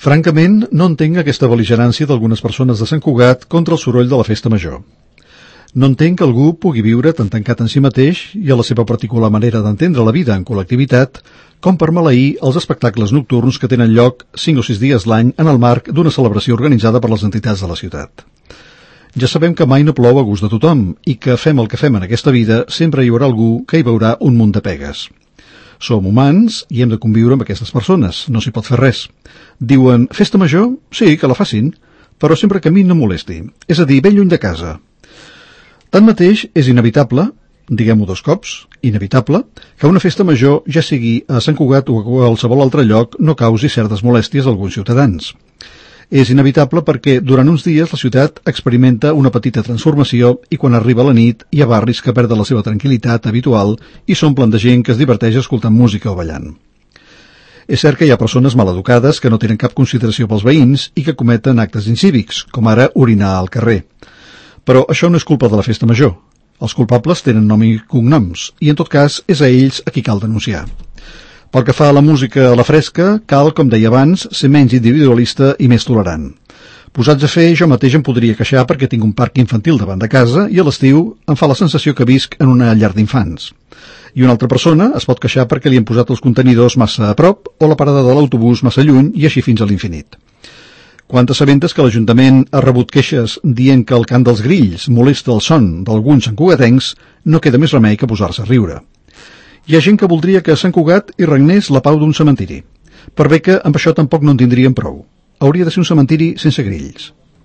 Francament, no entenc aquesta bel·ligerància d'algunes persones de Sant Cugat contra el soroll de la festa major. No entenc que algú pugui viure tan tancat en si mateix i a la seva particular manera d'entendre la vida en col·lectivitat com per maleir els espectacles nocturns que tenen lloc 5 o 6 dies l'any en el marc d'una celebració organitzada per les entitats de la ciutat. Ja sabem que mai no plou a gust de tothom i que fem el que fem en aquesta vida sempre hi haurà algú que hi veurà un munt de pegues. Som humans i hem de conviure amb aquestes persones, no s'hi pot fer res. Diuen, festa major? Sí, que la facin, però sempre que a mi no molesti, és a dir, ben lluny de casa. Tanmateix, és inevitable, diguem-ho 2 cops, inevitable, que una festa major, ja sigui a Sant Cugat o a qualsevol altre lloc, no causi certes molèsties a alguns ciutadans. És inevitable perquè durant uns dies la ciutat experimenta una petita transformació i quan arriba la nit hi ha barris que perden la seva tranquil·litat habitual i s'omplen de gent que es diverteix escoltant música o ballant. És cert que hi ha persones maleducades que no tenen cap consideració pels veïns i que cometen actes incívics, com ara orinar al carrer. Però això no és culpa de la festa major. Els culpables tenen nom i cognoms i en tot cas és a ells a qui cal denunciar. Pel que fa a la música a la fresca, cal, com deia abans, ser menys individualista i més tolerant. Posats a fer, jo mateix em podria queixar perquè tinc un parc infantil davant de casa i a l'estiu em fa la sensació que visc en una llar d'infants. I una altra persona es pot queixar perquè li han posat els contenidors massa a prop o la parada de l'autobús massa lluny i així fins a l'infinit. Quan t'assabentes que l'Ajuntament ha rebut queixes dient que el cant dels grills molesta el son d'alguns santcugatencs, no queda més remei que posar-se a riure. Hi ha gent que voldria que a Sant Cugat hi regnés la pau d'un cementiri. Per bé que amb això tampoc no en tindríem prou. Hauria de ser un cementiri sense grills.